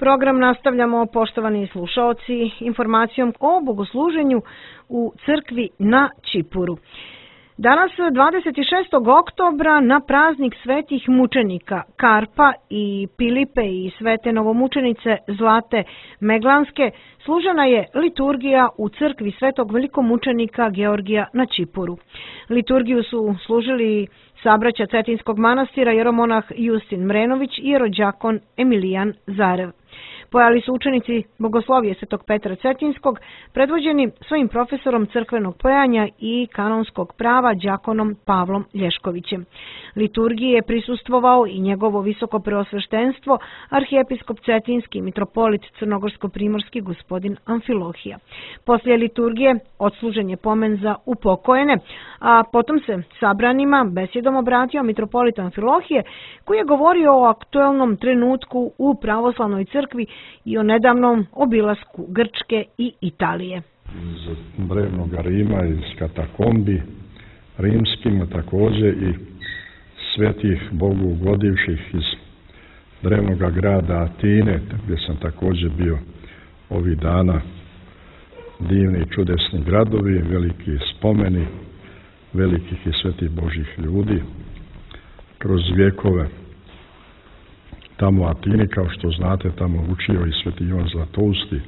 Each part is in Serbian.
Program nastavljamo, poštovani slušaoci, informacijom o bogosluženju u crkvi na Čipuru. Danas, 26. oktobra, na praznik svetih mučenika Karpa i Pilipe i svete novomučenice Zlate Meglanske, služena je liturgija u crkvi svetog velikomučenika Georgija na Čipuru. Liturgiju su služili sabraća Cetinskog manastira jeromonah Justin Mrenović i jerođakon Emilijan Zarev. Pojali su učenici Bogoslovije Svetog Petra Cetinskog, predvođeni svojim profesorom crkvenog pojanja i kanonskog prava đakonom Pavlom Lješkovićem. Liturgiji je prisustvovao i njegovo visoko preosveštenstvo, arhijepiskop Cetinski, mitropolit Crnogorsko-primorski gospodin Amfilohija. Poslije liturgije odslužen je pomen za upokojene, a potom se sabranima besjedom obratio mitropolit Amfilohije, koji je govorio o aktuelnom trenutku u pravoslavnoj crkvi i o nedavnom obilasku Grčke i Italije. Iz drevnog Rima, iz katakombi rimskim, također i svetih Bogu ugodivših iz drevnog grada Atine, gdje sam također bio ovih dana. Divni i čudesni gradovi, veliki spomeni velikih i svetih Božih ljudi kroz vjekove. Tamo u Atini, kao što znate, tamo učio i sveti Ivan Zlatousti,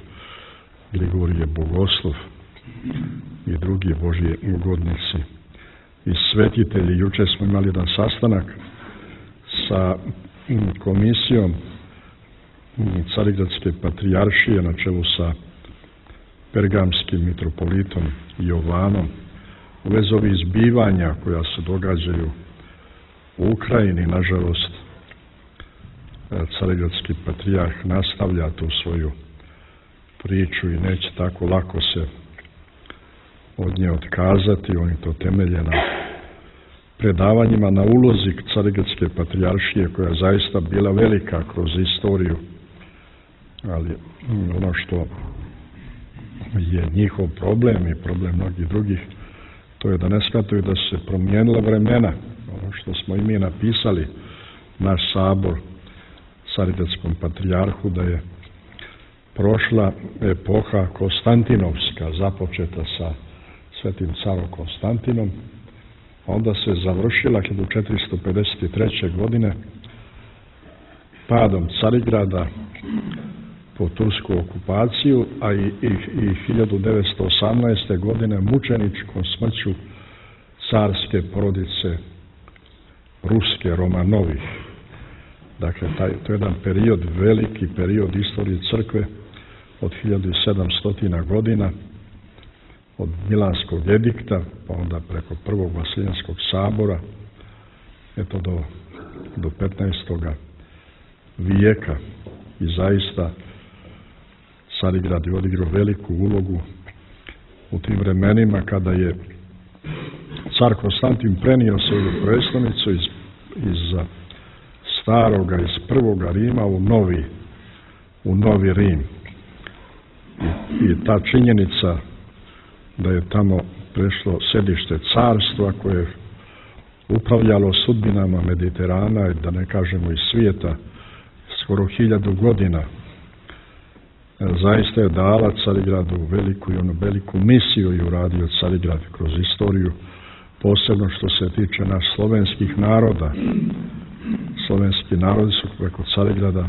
Grigorije Bogoslov i drugi Božji ugodnici i svetitelji. Jučer smo imali jedan sastanak sa komisijom Carigradske patrijaršije na čelu sa pergamskim mitropolitom Jovanom u vezi ovih zbivanja koja se događaju u Ukrajini. Nažalost, Carigradski patrijarh nastavlja tu svoju priču i neće tako lako se od nje otkazati. Oni to temelje na predavanjima, na ulozi Carigradske patrijaršije koja je zaista bila velika kroz istoriju, ali ono što je njihov problem i problem mnogih drugih, to je da ne shvataju da su se promijenila vremena. Ono što smo i mi napisali, naš sabor Carigradskom patrijarhu, da je prošla epoha Konstantinovska, započeta sa svetim carom Konstantinom, onda se završila 1453. godine padom Carigrada po tursku okupaciju, a i 1918. godine mučeničkom smrću carske porodice ruske Romanovih. Dakle, to je jedan period, veliki period istorije crkve od 1700 godina, od Milanskog edikta, pa onda preko prvog Vasiljanskog sabora, eto do 15. vijeka. I zaista Carigrad je odigrao veliku ulogu u tim vremenima kada je car Konstantin prenio svoju prestolnicu iz staroga, iz prvoga Rima u novi Rim. I ta činjenica da je tamo prešlo sedište carstva koje je upravljalo sudbinama Mediterana i da ne kažemo i svijeta skoro 1000 godina, zaista je dala Carigradu veliku misiju i uradio Carigrad kroz istoriju, posebno što se tiče naš slovenskih naroda. Slovenski narodi su preko Carigrada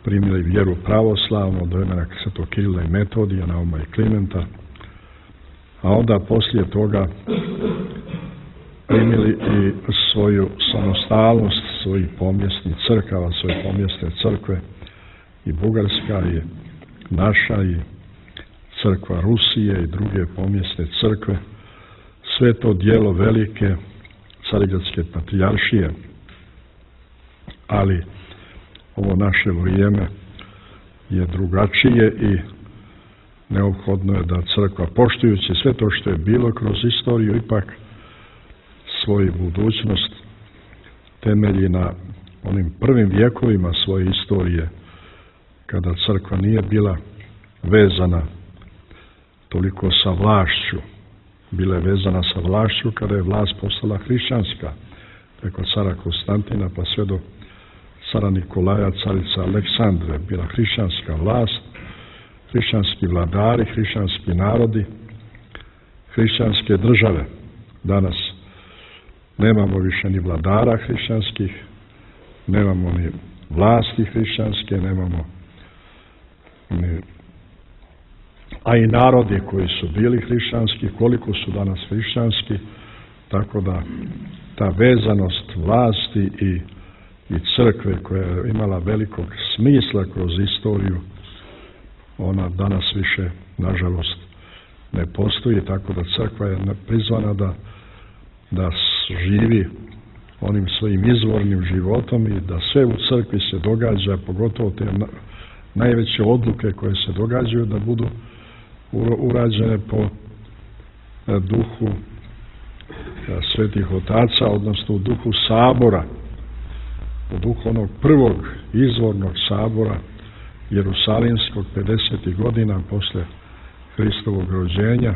primili vjeru pravoslavnu od vremena svetog Kirila i Metodija, Nauma i Klimenta, a onda poslije toga primili i svoju samostalnost svojih pomjesnih crkava, svoje pomjesne crkve, i Bugarska i naša i crkva Rusije i druge pomjesne crkve. Sve to djelo velike Carigradske patrijaršije, ali ovo naše vrijeme je drugačije i neophodno je da crkva, poštujući sve to što je bilo kroz istoriju, ipak svoju budućnost temelji na onim prvim vjekovima svoje istorije, kada crkva nije bila vezana toliko sa vlašću. Bila je vezana sa vlašću kada je vlast postala hrišćanska, preko cara Konstantina pa sve do cara Nikolaja, carice Aleksandre, bila hrišćanska vlast, hrišćanski vladari, hrišćanski narodi, hrišćanske države. Danas nemamo više ni vladara hrišćanskih, nemamo ni vlasti hrišćanske, nemamo ni, a i narodi koji su bili hrišćanski, koliko su danas hrišćanski, tako da ta vezanost vlasti i crkve koja je imala velikog smisla kroz istoriju, ona danas više, nažalost, ne postoji, tako da crkva je prizvana da živi onim svojim izvornim životom i da sve u crkvi se događa, pogotovo te najveće odluke koje se događaju, da budu urađene po duhu svetih otaca, odnosno u duhu sabora, u duhu onog prvog izvornog sabora Jerusalimskog 50. godina posle Hristovog rođenja,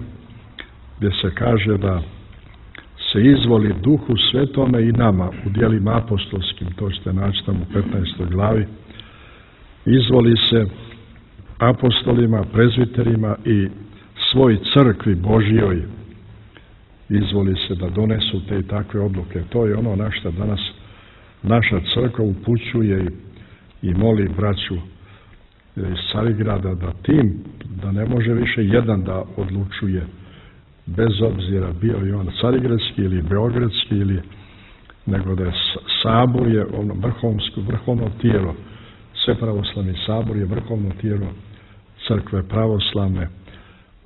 gdje se kaže da se izvoli Duhu Svetome i nama u djelima apostolskim, to ćete naći tamo u 15. glavi, izvoli se apostolima, prezbiterima i svoj crkvi Božjoj, izvoli se da donesu te i takve odluke. To je ono na što danas naša crkva upućuje i moli braću iz Carigrada da ne može više jedan da odlučuje, bez obzira bio i on carigradski ili beogradski, nego da je sabor je ono vrhovno tijelo, sve pravoslavni sabor je vrhovno tijelo crkve pravoslavne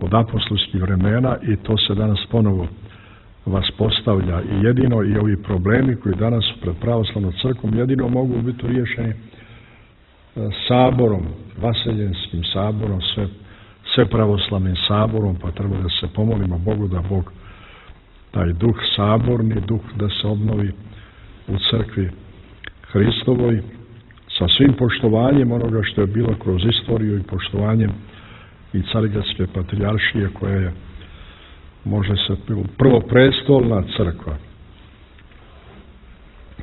od apostolskih vremena i to se danas ponovo vaspostavlja i jedino i ovi problemi koji danas su pred pravoslavnom crkvom jedino mogu biti riješeni saborom, vaseljenskim saborom, sve pravoslavnim saborom, pa treba da se pomolimo Bogu da Bog taj duh saborni, duh da se obnovi u crkvi Hristovoj sa svim poštovanjem onoga što je bilo kroz istoriju i poštovanjem i Carigradske patrijaršije koja je, može se, prvoprestolna crkva.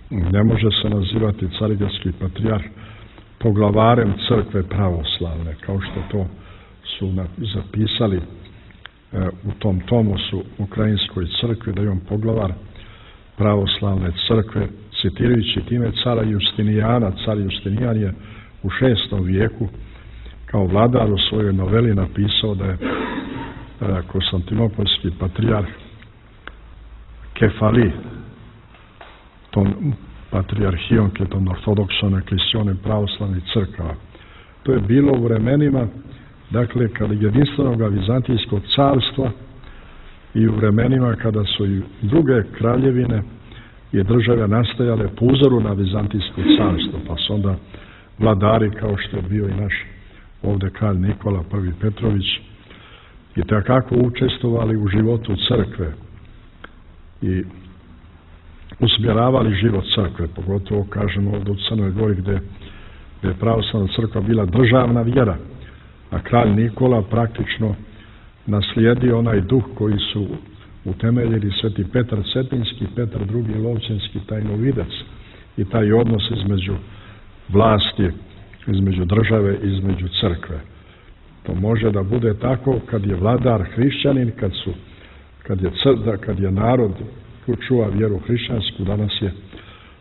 Ne može se nazivati Carigradski patrijarh poglavarem crkve pravoslavne, kao što to su zapisali u tom Tomosu Ukrajinskoj crkvi, da je on poglavar pravoslavne crkve, citirajući time cara Justinijana. Car Justinijan je u 6. vijeku kao vladar u svojoj noveli napisao da je Konstantinopolski patrijarh Kefali, tom patrijarhijom, tom ortodoksom eklesionem pravoslavnih crkava. To je bilo u vremenima, dakle, kada jedinstvenog Vizantijskog carstva i u vremenima kada su i druge kraljevine i države nastajale po uzoru na Vizantijsko carstvo, pa su onda vladari, kao što je bio i naš ovdje kralj Nikola I. Petrović, i takako učestvovali u životu crkve i usmjeravali život crkve, pogotovo, kažemo, ovdje u Crnoj Gori gdje je pravoslavna crkva bila državna vjera, a kralj Nikola praktično naslijedio onaj duh koji su utemeljili sveti Petar Cetinski, Petar II. Lovćenski tajnovidac i taj odnos između vlasti, između države, između crkve. To može da bude tako kad je vladar hrišćanin, kad je narod ko čuva vjeru hrišćansku. Danas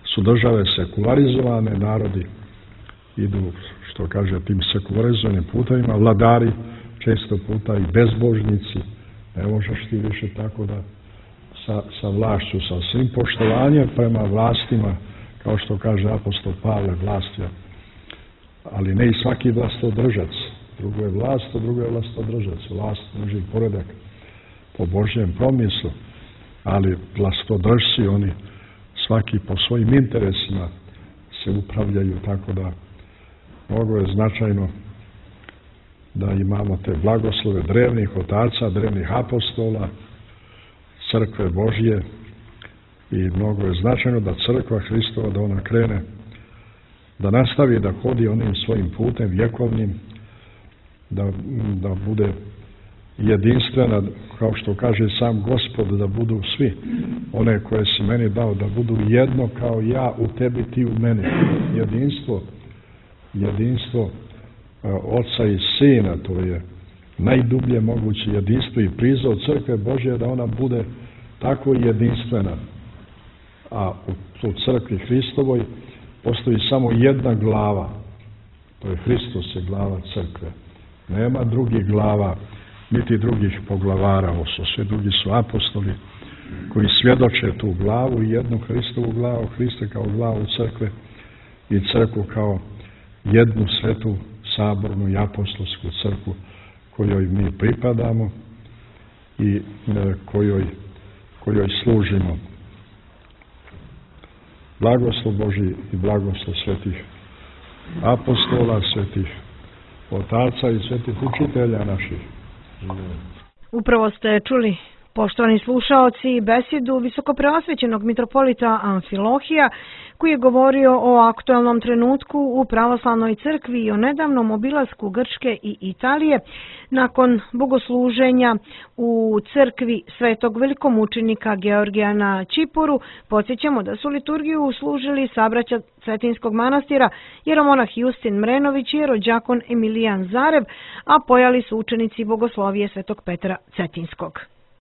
su države sekularizovane, narodi idu, što kaže, tim sekularizovanim putevima, vladari često puta i bezbožnici. Ne možeš ti više tako da sa vlašću, sa svim poštovanjem prema vlastima, kao što kaže apostol Pavle, vlast je, ali ne i svaki vlastodržac. Drugo je vlast, a drugo je vlastodržac. Vlast drži poredak po Božjem promislu, ali vlastodržci, oni svaki po svojim interesima se upravljaju, tako da mnogo je značajno da imamo te blagoslove drevnih otaca, drevnih apostola, crkve Božje, i mnogo je značajno da crkva Hristova, da ona krene, da nastavi da hodi onim svojim putem vjekovnim, da bude jedinstvena, kao što kaže sam Gospod, da budu svi one koje si meni dao, da budu jedno kao ja u tebi, ti u meni. Jedinstvo Oca i Sina, to je najdublje moguće jedinstvo i prizor crkve Božje da ona bude tako jedinstvena. A u crkvi Hristovoj postoji samo jedna glava, to je Hristos, je glava crkve. Nema drugih glava, niti drugih poglavara, sve drugi su apostoli koji svjedoče tu glavu i jednu Hristovu glavu, Hrista kao glavu crkve i crkvu kao jednu svetu sabornu i apostolsku crkvu kojoj mi pripadamo i kojoj služimo. Blagoslov Božji i blagoslov svetih apostola, svetih otaca i svetih učitelja naših. Upravo ste čuli, poštovani slušaoci, besedu visokopreosvećenog mitropolita Amfilohija, koji je govorio o aktualnom trenutku u pravoslavnoj crkvi i o nedavnom obilasku Grčke i Italije nakon bogosluženja u crkvi svetog velikomučenika Georgija na Čipuru. Podsjećamo da su liturgiju služili sabraća Cetinskog manastira jeromonah Justin Mrenović i jerođakon Emilijan Zarev, a pojali su učenici bogoslovije svetog Petra Cetinskog.